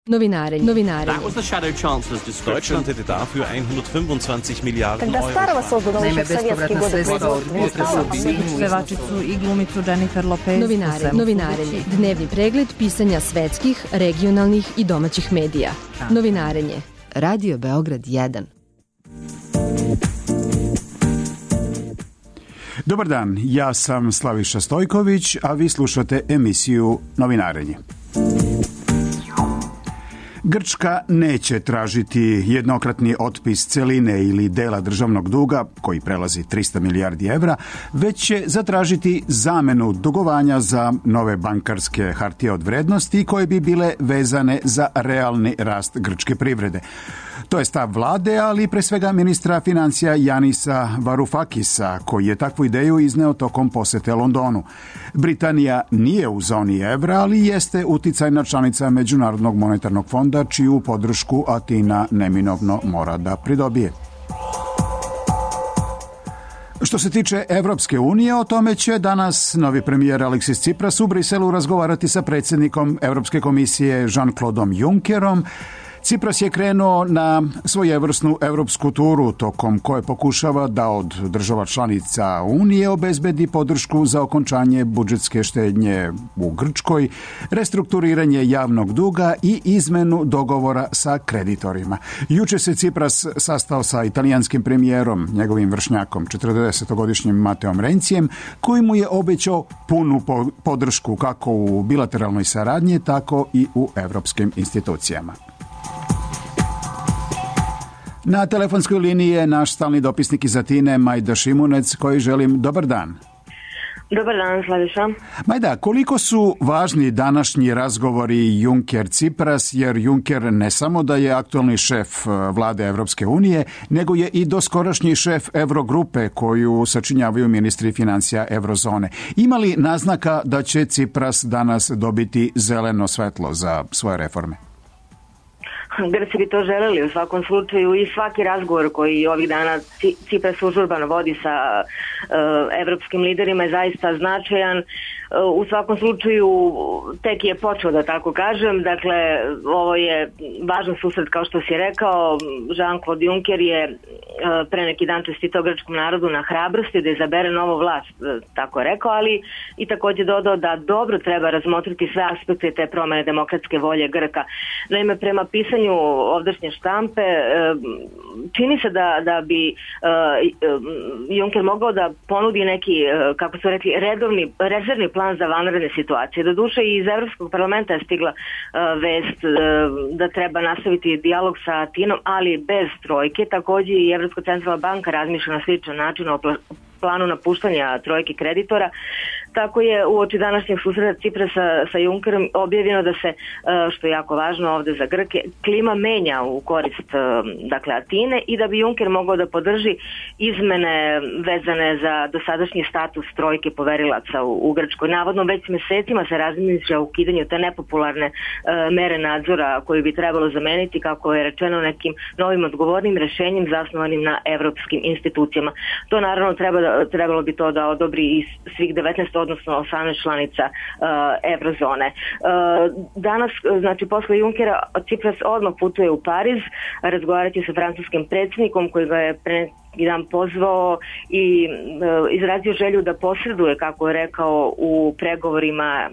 Novinarenje. That was the Shadow Chancellor's description. Deutschland hätte dafür 125 Milijarden Когда старого создано еще в советские годы Pevačicu i glumicu Jennifer Lopez. Novinarenje. Dnevni pregled pisanja svetskih, regionalnih i domaćih medija. Novinarenje. Radio Beograd 1. Dobar dan, ja sam Slaviša Stojković, a vi slušate emisiju Novinarenje. Grčka neće tražiti jednokratni otpis celine ili dela državnog duga, koji prelazi 300 milijardi evra, već će zatražiti zamenu dugovanja za nove bankarske hartije od vrednosti koje bi bile vezane za realni rast grčke privrede. To je stav vlade, ali pre svega ministra financija Janisa Varoufakisa, koji je takvu ideju izneo tokom posete Londonu. Britanija nije u zoni evra, ali jeste uticajna članica Međunarodnog monetarnog fonda, čiju podršku Atina neminovno mora da pridobije. Što se tiče Evropske unije, o tome će danas novi premijer Aleksis Tsipras u Briselu razgovarati sa predsjednikom Europske komisije Jean-Claudeom Junckerom. Tsipras je krenuo na svojevrsnu europsku turu, tokom koje pokušava da od država članica Unije obezbedi podršku za okončanje budžetske štednje u Grčkoj, restrukturiranje javnog duga i izmenu dogovora sa kreditorima. Juče se Tsipras sastao sa italijanskim premijerom, njegovim vršnjakom, 40-godišnjim Mateom Rencijem, koji mu je obećao punu podršku kako u bilateralnoj saradnji, tako i u evropskim institucijama. Na telefonskoj liniji je naš stalni dopisnik iz Atine, Majda Šimunec, koji želim dobar dan. Dobar dan, Slaviša. Majda, koliko su važni današnji razgovori Juncker-Tsipras, jer Juncker ne samo da je aktualni šef vlade Evropske unije, nego je i doskorašnji šef Eurogrupe koju sačinjavaju ministri financija Eurozone. Ima li naznaka da će Tsipras danas dobiti zeleno svetlo za svoje reforme? Grci bi to želeli u svakom slučaju i svaki razgovor koji ovih dana Tsipras užurbano vodi sa evropskim liderima je zaista značajan. U svakom slučaju tek je počeo, da tako kažem. Dakle, ovo je važan susret, kao što si rekao. Jean-Claude Juncker je pre neki dan čestitao grčkom narodu na hrabrosti da izabere novu vlast, tako je rekao, ali i također dodao da dobro treba razmotriti sve aspekte te promene demokratske volje Grka. Naime, prema pisanju ovdašnje štampe, čini se da bi Juncker mogao da ponudi neki, kako su rekli, rezervni plan za vanredne situacije. Doduše i iz Evropskog parlamenta je stigla vest da treba nastaviti dijalog sa Atinom, ali bez trojke. Također i Evropska centralna banka razmišlja na sličan način o planu napuštanja trojke kreditora. Tako je uoči današnjeg susreta Tsiprasa sa Junckerom objavljeno da se, što je jako važno ovdje za Grke, klima menja u korist Atine i da bi Juncker mogao da podrži izmene vezane za dosadašnji status trojke poverilaca u Grčkoj. Navodno već mesecima se razmišlja o ukidanju te nepopularne mere nadzora koju bi trebalo zameniti, kako je rečeno, nekim novim odgovornim rešenjem zasnovanim na evropskim institucijama. To naravno trebalo bi to da odobri i svih 19, odnosno 18 članica Eurozone. Danas, znači posle Junckera, Tsipras odmah putuje u Pariz, razgovarati sa francuskim predsjednikom koji ga je pre jedan pozvao i izrazio želju da posreduje, kako je rekao, u pregovorima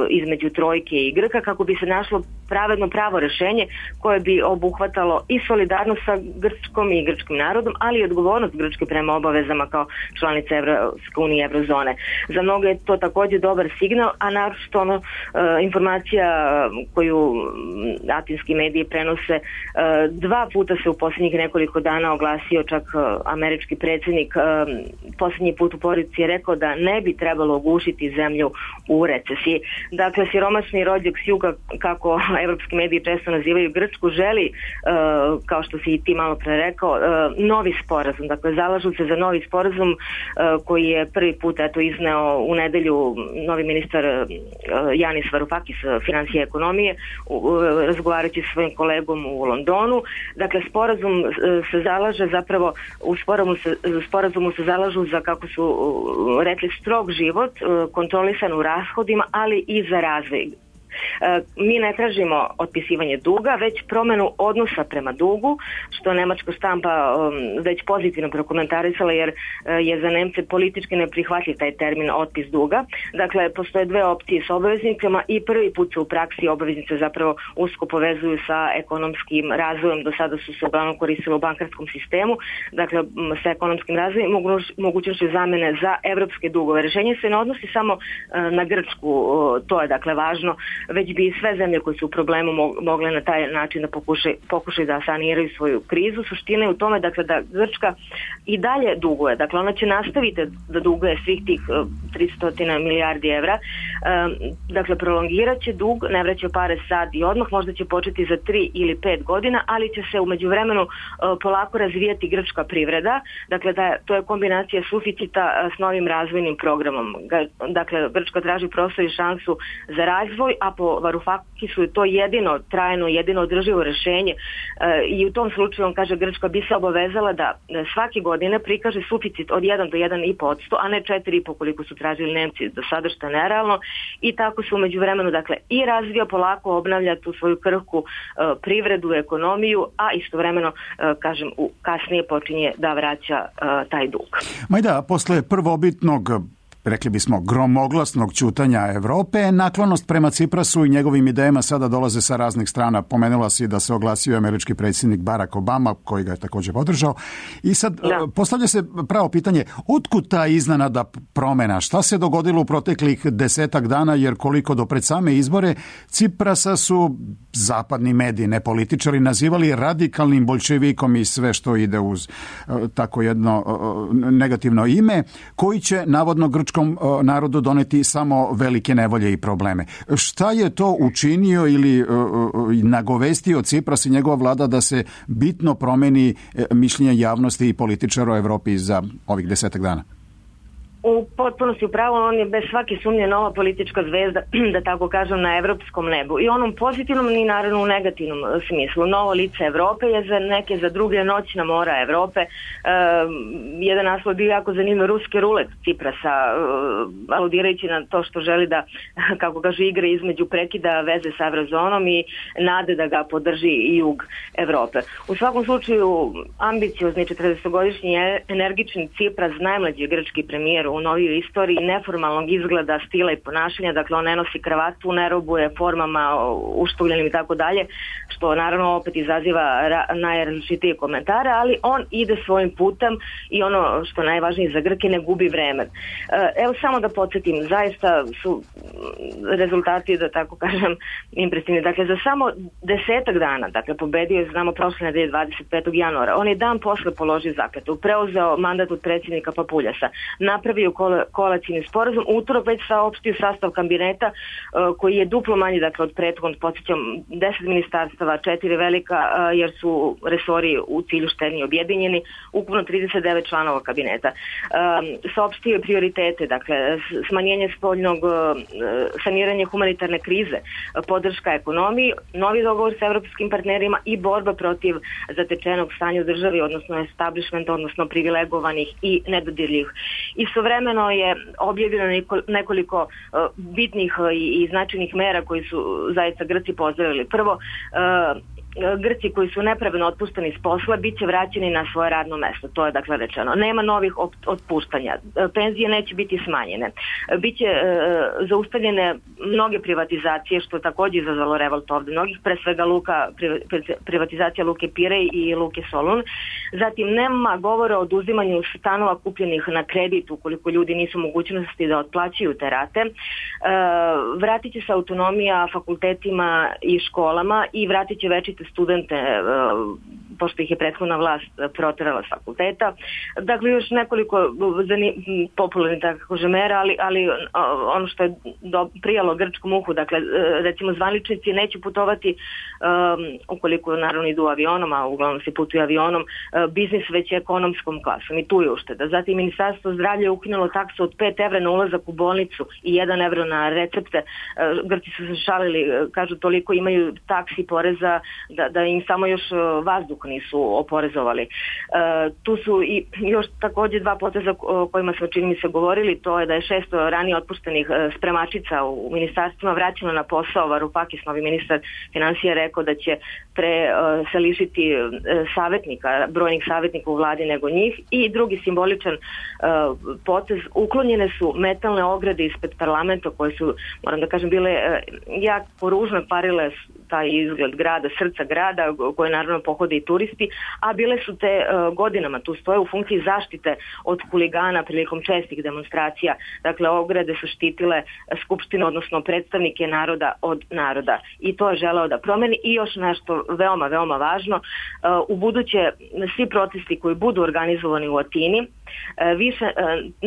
između trojke i Grka, kako bi se našlo pravedno pravo rešenje koje bi obuhvatalo i solidarnost sa Grčkom i grčkim narodom, ali i odgovornost Grčke prema obavezama kao članice Evropske unije i Eurozone. Za mnoge je to također dobar signal, a naročito informacija koju atinski mediji prenose, 2 puta se u posljednjih nekoliko dana oglasio čak američki predsjednik, posljednji put u poruci je rekao da ne bi trebalo ugušiti zemlju u recesiji. Dakle, siromašni rođak s juga, kako evropski mediji često nazivaju Grčku, želi, kao što si i ti malo pre rekao, novi sporazum. Dakle, zalažu se za novi sporazum koji je prvi put izneo u nedelju novi ministar Janis Varoufakis, financije i ekonomije, razgovarajući sa svojim kolegom u Londonu. Dakle, sporazum se zalaže zapravo, u sporazumu se zalažu za, kako su rekli, strog život, kontrolisan u rashodima, ali i za razvoj. Mi ne tražimo otpisivanje duga, već promenu odnosa prema dugu, što nemačka štampa već pozitivno prokomentarisala, jer je za Nemce politički neprihvatljiv taj termin otpis duga. Dakle, postoje dve opcije s obaveznicama i prvi put se u praksi obaveznice zapravo usko povezuju sa ekonomskim razvojem. Do sada su se uglavnom koristile u bankarskom sistemu, dakle sa ekonomskim razvojem i mogućnošću zamene za evropske dugove. Rešenje se ne odnosi samo na Grčku, to je dakle važno, već bi sve zemlje koje su u problemu mogle na taj način da pokušaju da saniraju svoju krizu. Suština je u tome dakle da Grčka i dalje duguje, dakle ona će nastaviti da duguje svih tih 300 milijardi evra, dakle prolongirat će dug, ne vraća pare sad i odmah, možda će početi za 3 ili 5 godina, ali će se u međuvremenu polako razvijati grčka privreda, dakle to je kombinacija suficita s novim razvojnim programom. Dakle, Grčka traži prostor i šansu za razvoj, a po Varoufakisu je to jedino trajno, jedino održivo rešenje i u tom slučaju on kaže Grčka bi se obavezala da svake godine prikaže suficit od 1 do 1,5%, a ne 4,5% koliko su tražili Nemci do sada, što je nerealno, i tako se u međuvremenu dakle i razvija, polako obnavlja tu svoju krhku privredu, ekonomiju, a istovremeno kažem kasnije počinje da vraća taj dug. Majda, posle prvobitnog, rekli bismo, gromoglasnog ćutanja Evrope, naklonost prema Ciprasu i njegovim idejama sada dolaze sa raznih strana. Pomenula si da se oglasio američki predsjednik Barack Obama, koji ga je također podržao. I sad postavlja se pravo pitanje, otkud ta iznenada promjena? Šta se dogodilo u proteklih 10 dana, jer koliko do pred same izbore Ciprasa su zapadni mediji, ne političari, nazivali radikalnim boljševikom i sve što ide uz tako jedno negativno ime, koji će navodno grčkom narodu doneti samo velike nevolje i probleme. Šta je to učinio ili nagovestio Cipras i njegova vlada da se bitno promeni mišljenje javnosti i političara u Evropi za ovih 10 dana? U potpunosti upravo, on je bez svake sumnje nova politička zvezda, da tako kažem, na evropskom nebu. I onom pozitivnom i naravno u negativnom smislu. Novo lice Evrope je za neke, za druge noćna mora Evrope. Jedan naslov bio jako zanimljiv, ruski rulet Ciprasa, aludirajući na to što želi da, kako kaže, igra između prekida veze sa evrozonom i nade da ga podrži i jug Evrope. U svakom slučaju, ambiciozni 40-godišnji energični Cipras, najmlađi grčki premijer u novijoj istoriji, neformalnog izgleda, stila i ponašanja, dakle on ne nosi kravatu, ne robuje formama uštugljenim i tako dalje, što naravno opet izaziva najrazličitije komentare, ali on ide svojim putem i ono što najvažnije za Grke, ne gubi vreme. Evo samo da podsjetim, zaista su rezultati, da tako kažem, impresivni. Dakle, za samo 10 dana, dakle pobedio je, znamo, prošle nedelje 25. januara, on je dan posle položio zakletvu, preuzeo mandat od predsjednika Papuljasa, napravio koalicijni sporazum, utorak već saopštio sastav kabineta koji je duplo manji, dakle od prethodnog, podsjećam, 10 ministarstava, 4 velika, jer su resori u cilju štednje objedinjeni, ukupno 39 članova kabineta. Saopštio je prioritete, dakle smanjenje spoljnog, saniranje humanitarne krize, podrška ekonomiji, novi dogovor sa evropskim partnerima i borba protiv zatečenog stanja u državi, odnosno establishmenta, odnosno privilegovanih i nedodirljivih. Istovremeno je objavljeno nekoliko bitnih i značajnih mera koji su zaista Grci pozdravili. Prvo, Grci koji su nepravedno otpušteni s posla bit će vraćeni na svoje radno mesto, to je dakle rečeno. Nema novih otpuštanja, penzije neće biti smanjene, biće zaustavljene mnoge privatizacije, što je također izazvalo revolt ovdje mnogih, pre svega privatizacija Luke Pirej i Luke Solun. Zatim nema govora o oduzimanju stanova kupljenih na kredit ukoliko ljudi nisu mogućnosti da otplaćuju te rate. Vratit će se autonomija fakultetima i školama i vratit će večite studente, pošto ih je prethodna vlast proterala s fakulteta. Dakle, još nekoliko popularnih tako mera, ali ono što je prijalo grčkom uhu, dakle, recimo zvaničnici neće putovati ukoliko naravno idu avionom, a uglavnom se putuju avionom, biznis već ekonomskom klasom i tu je ušteda. Zatim Ministarstvo zdravlja je ukinulo taksu od 5 evra na ulazak u bolnicu i 1 evro na recepte. Grci su se šalili, kažu toliko imaju taksi poreza da im samo još vazduh nisu oporezovali. Tu su i još također dva poteza o kojima smo čini mi se govorili, to je da je 600 ranije otpuštenih spremačica u ministarstvima vraćeno na posao. Varoufakis, novi ministar finansija, rekao da će se lišiti savjetnika, brojnih savjetnika u vladi nego njih. I drugi simboličan potez, uklonjene su metalne ograde ispred parlamenta koje su, moram da kažem, bile jako ružno parile taj izgled grada, srca grada, koje naravno pohode i turisti, a bile su te godinama, tu stoje u funkciji zaštite od huligana prilikom čestih demonstracija. Dakle, ograde su štitile skupštinu, odnosno predstavnike naroda od naroda. I to je želeo da promeni. I još nešto veoma, veoma važno, u buduće svi protesti koji budu organizovani u Atini, više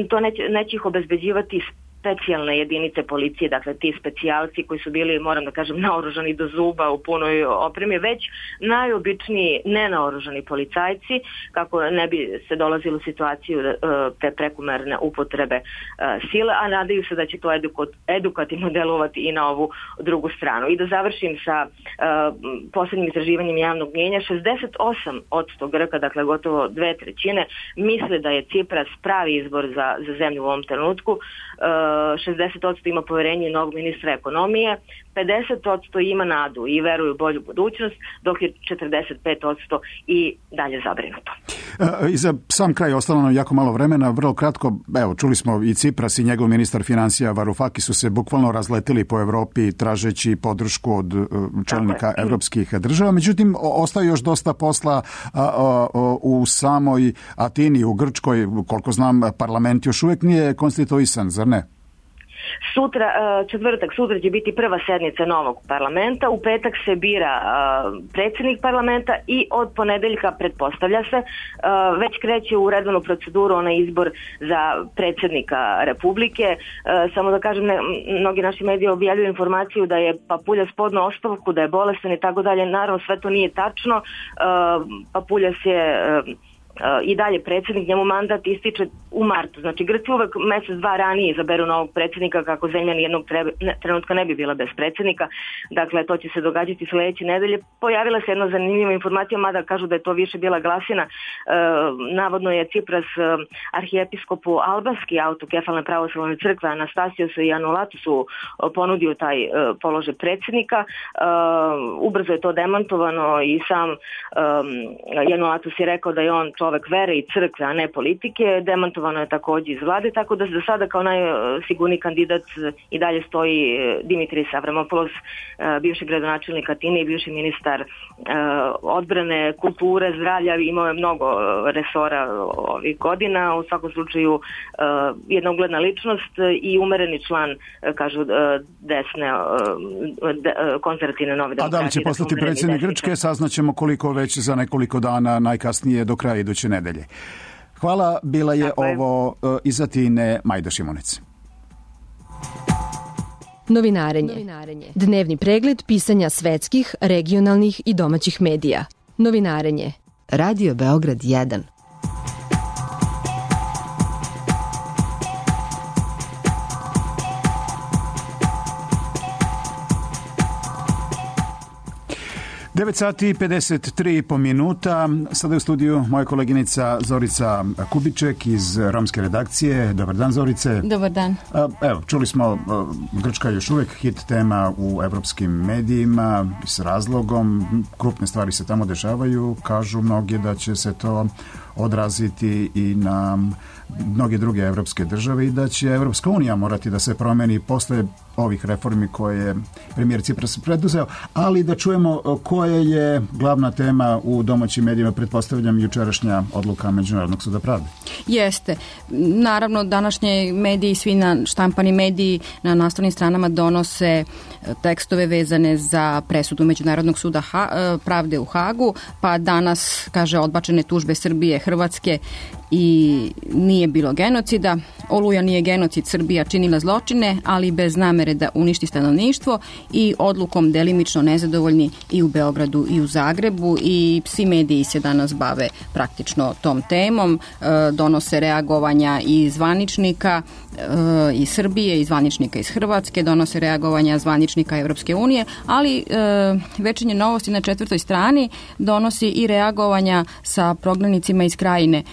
to neće ih obezbeđivati specijalne jedinice policije, dakle ti specijalci koji su bili, moram da kažem, naoružani do zuba u punoj opremi, već najobičniji nenaoružani policajci, kako ne bi se dolazilo u situaciju te prekomerne upotrebe sile, a nadaju se da će to edukativno delovati i na ovu drugu stranu. I da završim sa posljednjim istraživanjem javnog mnijenja, 68% Grka, dakle gotovo 2/3, misle da je Cipras pravi izbor za zemlju u ovom trenutku. 60% ima poverenje novog ministra ekonomije, 50% ima nadu i veruju u bolju budućnost, dok je 45% i dalje zabrinuto. I za sam kraj ostalo nam jako malo vremena, vrlo kratko, evo, čuli smo i Cipras i njegov ministar financija Varoufakis su se bukvalno razletili po Evropi tražeći podršku od čelnika evropskih država, međutim ostaje još dosta posla u samoj Atini, u Grčkoj, koliko znam, parlament još uvijek nije konstituisan, zar ne? Sutra će biti prva sednica novog parlamenta, u petak se bira predsjednik parlamenta i od ponedeljka, pretpostavlja se, već kreće u redovnu proceduru onaj izbor za predsjednika Republike. Samo da kažem, mnogi naši mediji objavljuju informaciju da je Papuljas podneo ostavku, da je bolestan i tako dalje. Naravno, sve to nije tačno. Papuljas je i dalje predsjednik, njemu mandat ističe u martu. Znači, Grci uvek mjesec, dva ranije izaberu novog predsjednika kako zemlja nijednog trenutka ne bi bila bez predsjednika. Dakle, to će se događati sljedeće nedelje. Pojavila se jedna zanimljiva informacija, mada kažu da je to više bila glasina. Navodno je Cipras arhijepiskopu albanski autokefalne pravoslavne crkve Anastasijosu i Anulatusu ponudio taj položaj predsjednika. Ubrzo je to demantovano i sam Anulatus je rekao da je on čovek vere i crkve, a ne politike. Demantovano je također iz vlade, tako da za sada kao najsigurniji kandidat i dalje stoji Dimitris Avramopoulos, bivši gradonačelnik Atine i bivši ministar odbrane, kulture, zdravlja. Imao je mnogo resora ovih godina. U svakom slučaju jedna ugledna ličnost i umereni član, kažu, desne konzervativne nove demokratije. A da li će postati predsjednik Grčke, saznaćemo koliko već za nekoliko dana, najkasnije do kraja iduće nedelje. Hvala, bila je ovo iz Atine Majda Šimunic. Novinarenje. Dnevni pregled pisanja svetskih, regionalnih i domaćih medija. Novinarenje. Radio Beograd 1. Devet sati i 53 minuta. Sada je u studiju moja koleginica Zorica Kubiček iz romske redakcije. Dobar dan, Zorice. Dobar dan. Evo, čuli smo, Grčka je još uvijek hit tema u evropskim medijima s razlogom. Krupne stvari se tamo dešavaju. Kažu mnogi da će se to odraziti i na mnoge druge evropske države i da će Evropska unija morati da se promeni posle ovih reformi koje je premijer Cipras preduzeo, ali da čujemo koja je glavna tema u domaćim medijima, pretpostavljam jučerašnja odluka Međunarodnog suda pravde. Jeste. Naravno, današnji mediji, svi štampani mediji na naslovnim stranama donose tekstove vezane za presudu Međunarodnog suda pravde u Hagu, pa danas, kaže, odbačene tužbe Srbije, Hrvatske i nije bilo genocida. Oluja nije genocid, Srbija činila zločine, ali bez namere da uništi stanovništvo i odlukom delimično nezadovoljni i u Beogradu i u Zagrebu i svi mediji se danas bave praktično tom temom, donose reagovanja i zvaničnika iz Srbije i zvaničnika iz Hrvatske, donose reagovanja zvaničnika Evropske unije, ali Večernje novosti na 4. strani donosi i reagovanja sa prognanicima iz Krajine.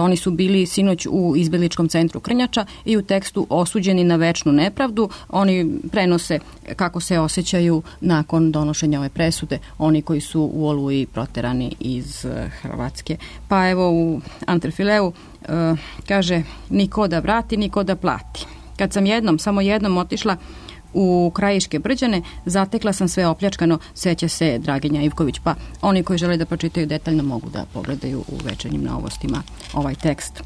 Oni su bili sinoć u izbegličkom centru Krnjača i u tekstu osuđeni na večnu nepravdu. Oni prenose kako se osjećaju nakon donošenja ove presude, oni koji su u Oluji proterani iz Hrvatske. Pa evo u Antrefileu kaže, niko da vrati, niko da plati. Kad sam samo jednom otišla u Krajiške Brđane, zatekla sam sve opljačkano, seća se Draginja Ivković. Pa oni koji žele da pročitaju detaljno mogu da pogledaju u Večernjim novostima ovaj tekst.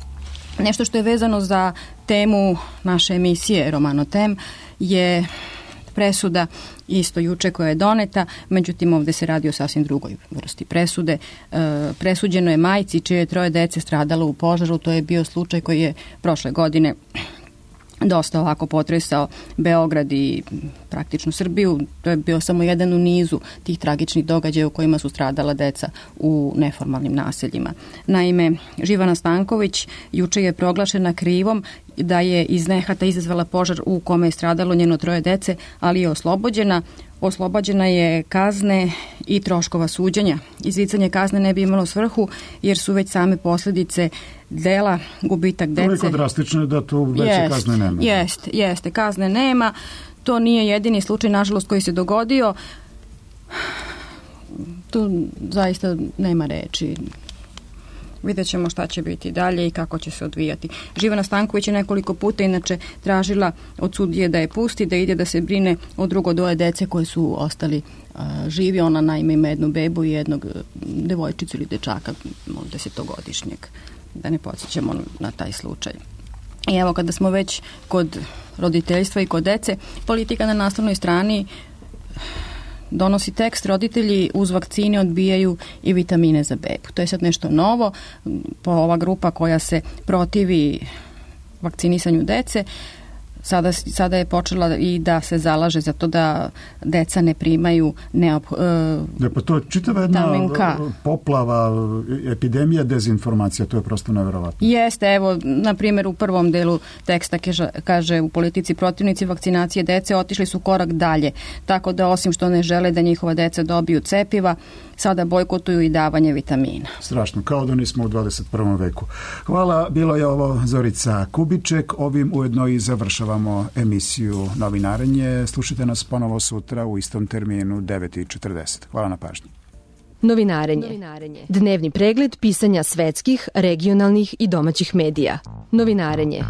Nešto što je vezano za temu naše emisije Romano Tem je presuda isto juče koja je doneta, međutim ovdje se radi o sasvim drugoj vrsti presude. Presuđeno je majci čije je 3 dece stradalo u požaru. To je bio slučaj koji je prošle godine dosta ovako potresao Beograd i praktično Srbiju. To je bio samo jedan u nizu tih tragičnih događaja u kojima su stradala deca u neformalnim naseljima. Naime, Živana Stanković juče je proglašena krivom da je iz nehata izazvala požar u kome je stradalo njeno 3 dece, ali je oslobođena. Oslobođena je kazne i troškova suđenja. Izricanje kazne ne bi imalo svrhu jer su već same posljedice dela, gubitak dece. Toliko drastično je da tu veće kazne nema. Jeste, kazne nema. To nije jedini slučaj, nažalost, koji se dogodio. Tu zaista nema reči. Vidjet ćemo šta će biti dalje i kako će se odvijati. Živana Stanković je nekoliko puta inače tražila od sudije da je pusti, da ide da se brine o drugo 2 dece koji su ostali živi. Ona naime ima jednu bebu i jednog devojčicu ili dečaka 10-godišnjeg. Da ne podsjećamo na taj slučaj. I evo kada smo već kod roditeljstva i kod dece, Politika na naslovnoj strani donosi tekst, roditelji uz vakcine odbijaju i vitamine za bebu. To je sad nešto novo. Ova grupa koja se protivi vakcinisanju dece sada je počela i da se zalaže za to da deca ne primaju pa to je čitava jedna poplava, epidemija dezinformacija, to je prosto nevjerovatno. Jeste, evo, na primjer u prvom delu teksta kaže u Politici protivnici vakcinacije dece otišli su korak dalje, tako da osim što ne žele da njihova deca dobiju cepiva, sada bojkotuju i davanje vitamina. Strašno, kao da nismo u 21. veku. Hvala, bilo je ovo Zorica Kubiček, ovim ujedno i završavamo emisiju Novinarenje. Slušajte nas ponovo sutra u istom terminu 9:40. Hvala na pažnji. Novinarenje. Dnevni pregled pisanja svetskih, regionalnih i domaćih medija. Novinarenje.